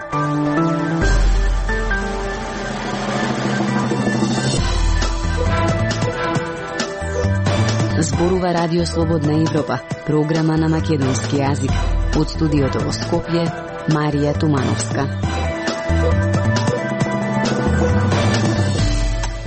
Зборува Радио Слободна Европа, програма на македонски јазик. Од студиото во Скопје, Марија Тумановска.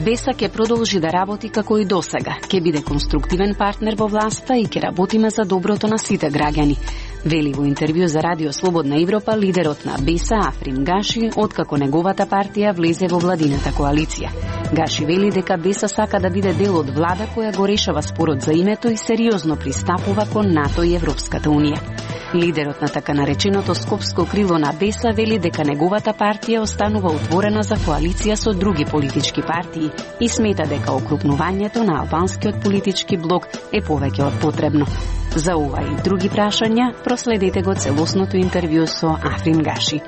БЕСА ќе продолжи да работи како и досега. Ќе биде конструктивен партнер во власта и ќе работиме за доброто на сите граѓани. Вели во интервју за Радио Слободна Европа лидерот на БЕСА Африн Гаши, откако неговата партија влезе во владината коалиција. Гаши вели дека БЕСА сака да биде дел од влада која го решава спорот за името и сериозно пристапува кон НАТО и Европската унија. Лидерот на така нареченото скопско крило на БЕСА вели дека неговата партија останува отворена за коалиција со други политички партии и смета дека окрупнувањето на албанскиот политички блок е повеќе од потребно. За ова и други прашања проследете го целосното интервју со Африн Гаши.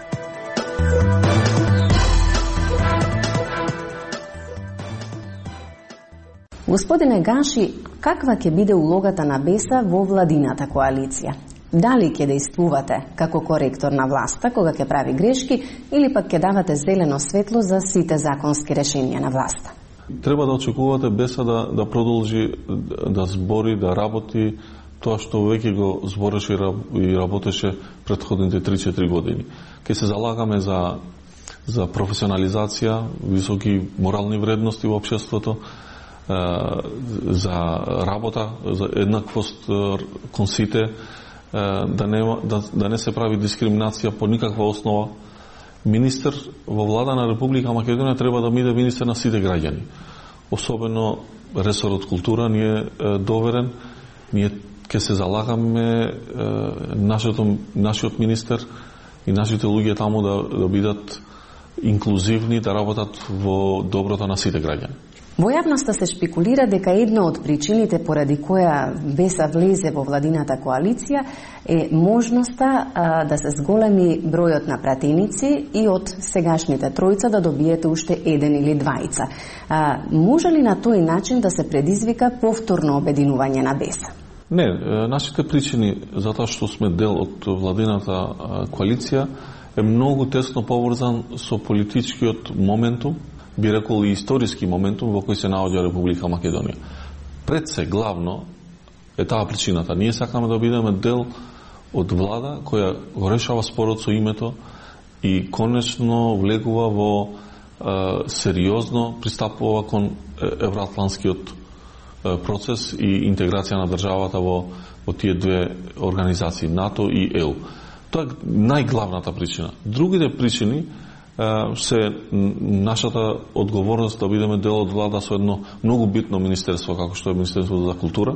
Господине Гаши, каква ќе биде улогата на БЕСА во владината коалиција? Дали ќе действувате како коректор на власта кога ќе прави грешки или пак ќе давате зелено светло за сите законски решенија на власта? Треба да очекувате БЕСА да продолжи да збори, да работи тоа што веќе го збореше и работеше претходните 3-4 години. Ке се залагаме за професионализација, високи морални вредности во општеството, за работа, за еднаквост кон сите, да не се прави дискриминација по никаква основа. Министер во влада на Република Македонија треба да биде министер на сите граѓани. Особено ресорот култура ни е доверен. Ние ќе се залагаме нашиот министер и нашите луѓе таму да бидат инклузивни, да работат во доброто на сите граѓани. Во јавноста се шпекулира дека една од причините поради која БЕСА влезе во владината коалиција е можноста да се зголеми бројот на пратеници и од сегашните тројца да добиете уште еден или двајца. Може ли на тој начин да се предизвика повторно обединување на БЕСА? Не, нашите причини за тоа што сме дел од владината коалиција е многу тесно поврзан со политичкиот моментум, би рекол и историски моментум во кој се наоѓа Република Македонија. Пред се главно е таа причината. Ние сакаме да бидеме дел од влада која го решава спорот со името и конечно влегува во сериозно пристапува кон евроатлантскиот процес и интеграција на државата во тие две организации, НАТО и ЕУ. Тоа е најглавната причина. Другите причини се нашата одговорност да бидеме дел од влада со едно многу битно министерство, како што е Министерството за култура,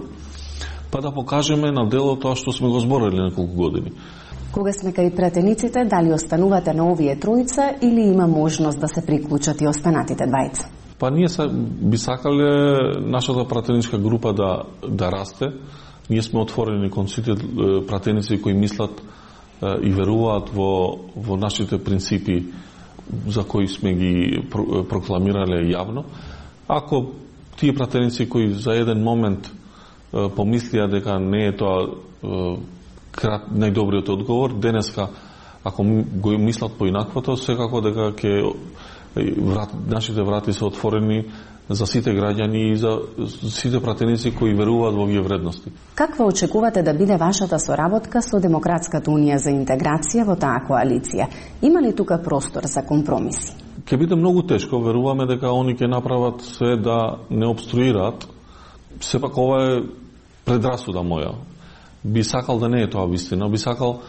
па да покажеме на дело тоа што сме го зборили неколку години. Кога сме кај пратениците, дали останувате на овие тројца или има можност да се приклучат и останатите двајца? Па ние би сакале нашата пратеничка група да расте. Ние сме отворени кон сите пратеници кои мислат и веруваат во нашите принципи за кои сме ги прокламирале јавно. Ако тие пратеници кои за еден момент помислија дека не е тоа најдобриот одговор, денеска ако го мислат поинаквото, секако дека нашите врати се отворени за сите граѓани и за сите пратеници кои веруваат во овие вредности. Каква очекувате да биде вашата соработка со Демократската унија за интеграција во таа коалиција? Има ли тука простор за компромиси? Ќе биде многу тешко, веруваме дека они ќе направат се да не обструираат. Сепак ова е предрасуда моја. Би сакал да не е тоа вистина, би сакал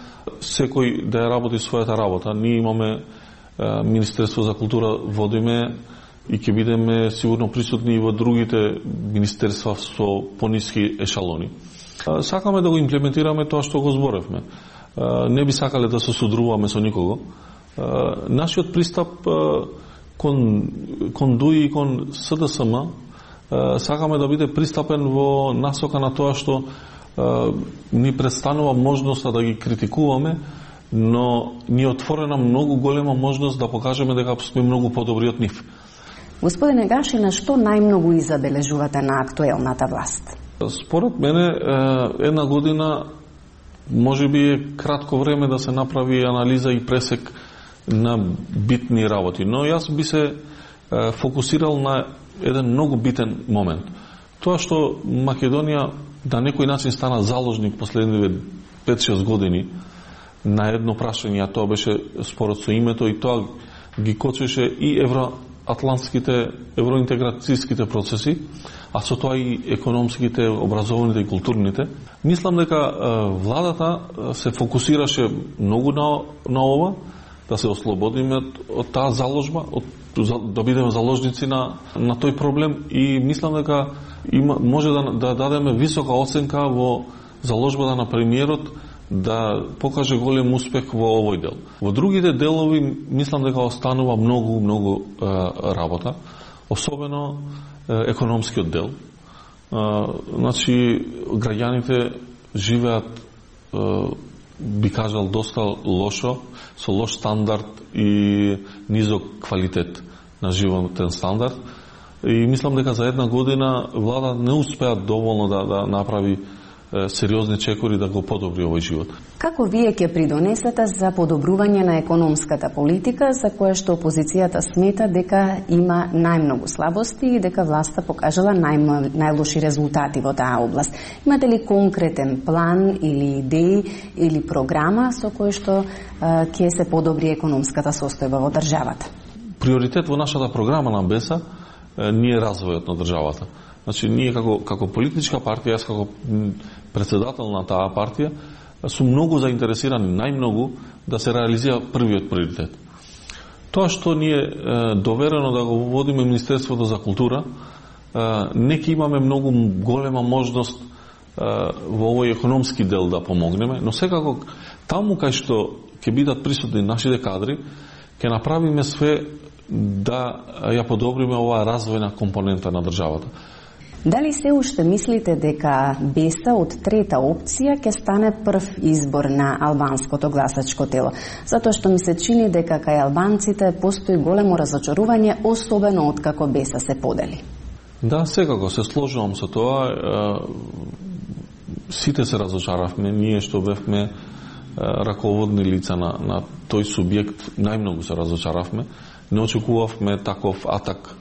секој да ја работи својата работа. Ние имаме Министерство за култура, водиме и ќе бидеме сигурно присутни и во другите министерства со пониски ешалони. Сакаме да го имплементираме тоа што го зборевме. Не би сакале да се судруваме со никого. Нашиот пристап кон ДУИ и кон СДСМ сакаме да биде пристапен во насока на тоа што ни представува можноста да ги критикуваме, но ни е отворена многу голема можност да покажеме дека сме многу подобри од нив. Господине Гаши, на што најмногу изабележувате на актуелната власт? Според мене, една година може би е кратко време да се направи анализа и пресек на битни работи. Но јас би се фокусирал на еден многу битен момент. Тоа што Македонија на некој начин стана заложник последниве 5-6 години на едно прашање, а тоа беше спорот со името, и тоа ги кочеше и евроатлантските, евроинтеграцијските процеси, а со тоа и економските, образованите и културните. Мислам дека владата се фокусираше многу на ова, да се ослободиме од таа заложба, да бидеме заложници на тој проблем, и мислам дека може да дадеме висока оценка во заложбата на премиерот да покаже голем успех во овој дел. Во другите делови мислам дека останува многу работа, особено економскиот дел. Значи, граѓаните живеат, би кажал, доста лошо, со лош стандард и низок квалитет на животен стандард. И мислам дека за една година влада не успеа доволно да направи сериозни чекори да го подобри овој живот. Како вие ќе придонесете за подобрување на економската политика, за која што опозицијата смета дека има најмногу слабости и дека власта покажала најлоши резултати во таа област? Имате ли конкретен план или идеи или програма со кој што ќе се подобри економската состојба во државата? Приоритет во нашата програма на БЕСА не е развојот на државата. Значи, ние како политичка партија, јас како председател на таа партија, сум многу заинтересирани, најмногу, да се реализира првиот приоритет. Тоа што ни е доверено да го водиме Министерството за култура, не ќе имаме многу голема можност во овој економски дел да помогнеме, но секако таму кај што ќе бидат присутни нашите кадри, ќе направиме све да ја подобриме оваа развојна компонента на државата. Дали се уште мислите дека БЕСА од трета опција ќе стане прв избор на албанското гласачко тело? Затоа што ми се чини дека кај албанците постои големо разочарување, особено откако БЕСА се подели. Да, секако се сложувам со тоа. Сите се разочаравме, ние што бевме раководни лица на тој субјект, најмногу се разочаравме. Не очекувавме таков атак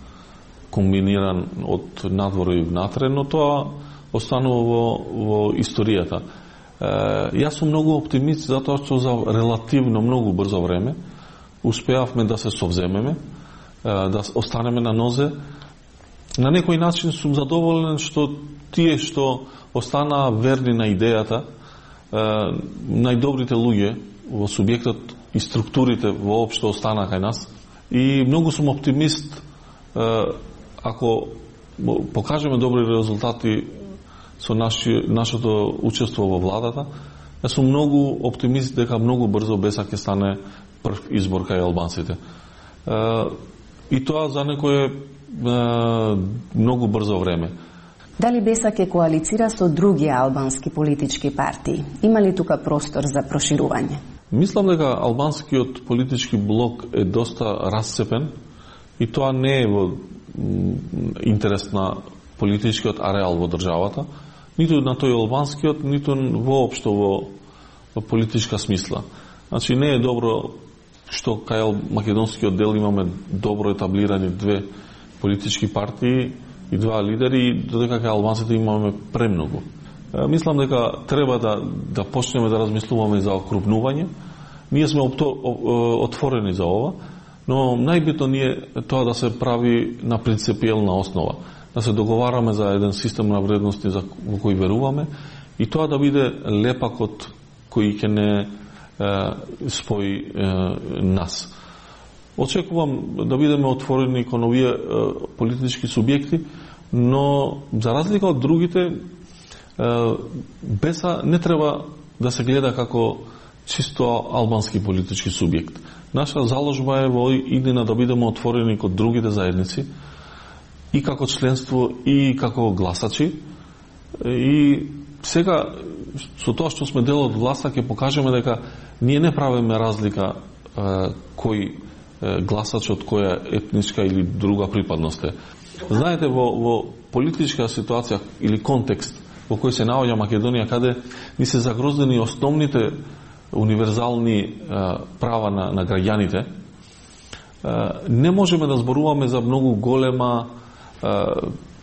комбиниран од надвор и внатре, но тоа останува во историјата. Јас сум многу оптимист затоа што за релативно многу брзо време успеавме да се совземеме, да останеме на нозе. На некој начин сум задоволен што тие што останаа верни на идејата, најдобрите луѓе во субјектот и структурите воопшто останаа кај нас. И многу сум оптимист ако покажеме добри резултати со нашето учество во владата. Јас сум многу оптимист дека многу брзо БЕСА ќе стане прв избор кај албанците. И тоа за некое многу брзо време. Дали БЕСА ќе коалицира со други албански политички партии? Има ли тука простор за проширување? Мислам дека албанскиот политички блок е доста расцепен и тоа не е во интерес на политичкиот ареал во државата, ниту на тој албанскиот, ниту воопшто во политичка смисла. Значи не е добро што кај македонскиот дел имаме добро етаблирани две политички партии и два лидери, и додека кај албанците имаме премногу. Мислам дека треба да почнеме да размислуваме за окрупнување. Ние сме отворени за ова, но најбитно ни е тоа да се прави на принципиелна основа, да се договараме за еден систем на вредности во кој веруваме и тоа да биде лепакот кој ќе не спои нас. Очекувам да бидеме отворени кон овие политички субјекти, но за разлика од другите, БЕСА не треба да се гледа како чисто албански политички субјект. Наша заложба е во иднина да бидеме отворени кон другите заедници и како членство и како гласачи. И сега со тоа што сме дел од власта ќе покажеме дека ние не правиме разлика кој гласач од која етничка или друга припадност е. Знаете, во политичка ситуација или контекст во кој се наоѓа Македонија, каде ни се загроздени основните универзални права на граѓаните, Не можеме да зборуваме за многу голема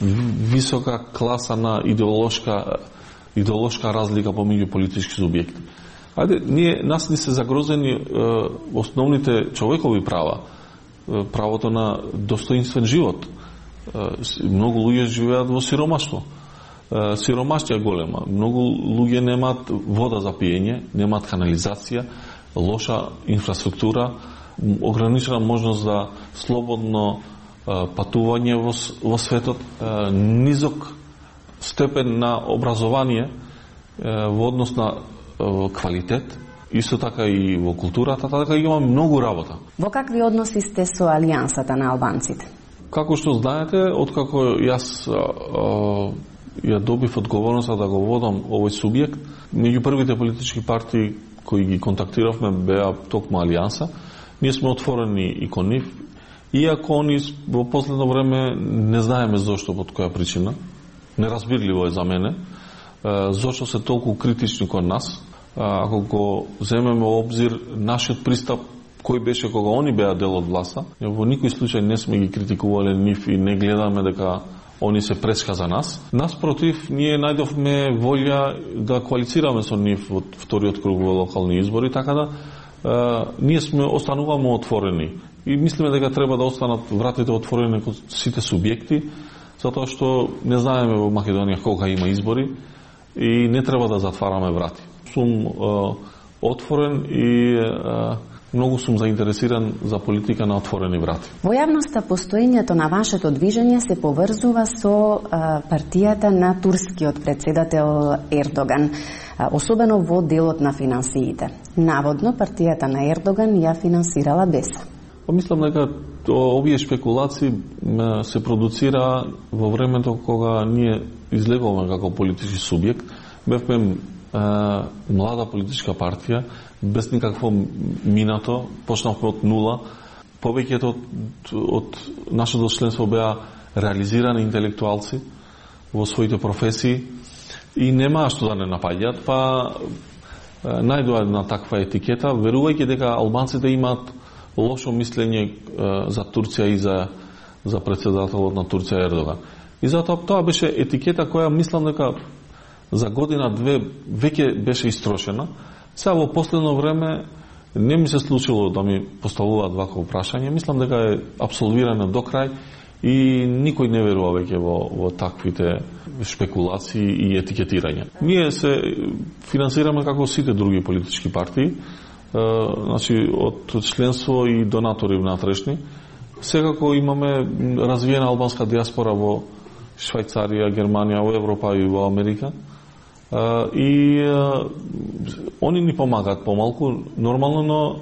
висока класа на идеолошка разлика помеѓу политички субјекти. Нас ни се загрозени основните човекови права, правото на достоинствен живот. Многу луѓе живеат во сиромаштво. Сиромаштија голема. Многу луѓе немаат вода за пиење, немаат канализација, лоша инфраструктура, ограничена можност за слободно патување во светот, низок степен на образование во однос на квалитет, исто така и во културата, така има многу работа. Во какви односи сте со Алијансата на албанците? Како што знаете, откако јас ја добив одговорноста да го водам овој субјект, меѓу првите политички партии кои ги контактиравме беа токму Алијанса. Ние сме отворени и кон нив, иако они во последно време не знаеме зошто, под која причина. Неразбирливо е за мене зошто се толку критични кон нас. Ако го земеме во обзир нашиот пристап кој беше кога они беа дел од власта, во никој случај не сме ги критикувале нив и не гледаме дека они се преска за нас. Наспротив, ние најдовме волја да коалицираме со нив во вториот круг во локални избори, така да ние остануваме отворени и мислиме дека треба да останат вратите отворени кон сите субјекти, затоа што не знаеме во Македонија кога има избори и не треба да затвараме врати. Сум отворен и многу сум заинтересиран за политика на отворени врати. Во јавноста постоењето на вашето движење се поврзува со партијата на турскиот председател Ердоган, особено во делот на финансиите. Наводно партијата на Ердоган ја финансирала БЕСА. Мислам дека овие шпекулации се продуцира во времето кога ние излегуваме како политички субјект. Бевме млада политичка партија, без никакво минато, почнавме од нула. Повеќето од нашето членство беа реализирани интелектуалци во своите професии и немаа што да не напаѓаат, па најдоа една таква етикета, верувајќи дека албанците имаат лошо мислење за Турција и за председателот на Турција Ердоган. И затоа тоа беше етикета која мислам дека за година-две веќе беше истрошена. Сега во последно време не ми се случило да ми поставуваат вакво прашање. Мислам дека е апсолвирано до крај и никој не верува веќе во таквите шпекулации и етикетирање. Ние се финансираме како сите други политички партии, значи од членство и донатори внатрешни. Секако имаме развиена албанска диаспора во Швајцарија, Германија, во Европа и во Америка. И они ни помагаат помалку, нормално, но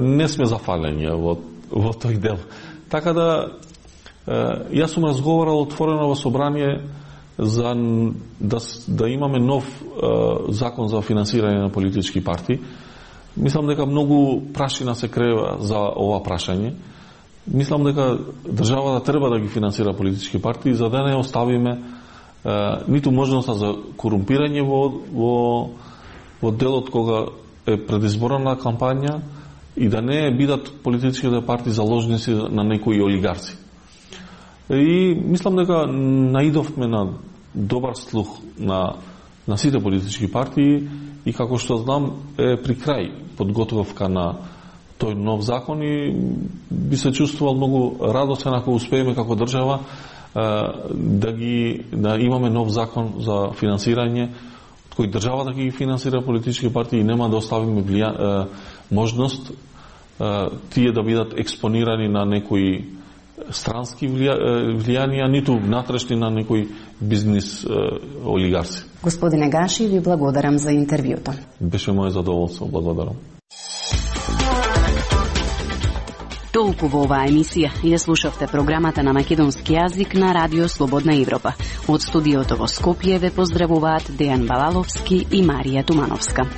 не сме зафалени во тој дел. Така да, јас сум разговарал отворено во собрание за да имаме нов закон за финансирање на политички партии. Мислам дека многу прашина се крева за ова прашање. Мислам дека државата треба да ги финансира политички партии за да не оставиме ниту можноста за корумпирање во делот кога е предизборна кампања и да не бидат политичките партии заложници на некои олигарци. И мислам дека наидовме на добар слух на сите политички партии и како што знам е при крај подготовка на тој нов закон и би се чувствувал многу радосен ако успееме како држава да имаме нов закон за финансирање, кој државата ќе ги финансира политички партии и нема да оставиме можност тие да бидат експонирани на некои странски влијанија, ниту внатрешни на некои бизнис олигарци. Господине Гаши, ви благодарам за интервјуто. Беше моје задоволство, благодарам. Толку во оваа емисија ја слушавте програмата на македонски јазик на Радио Слободна Европа. Од студиото во Скопје ве поздравуваат Дејан Балаловски и Марија Тумановска.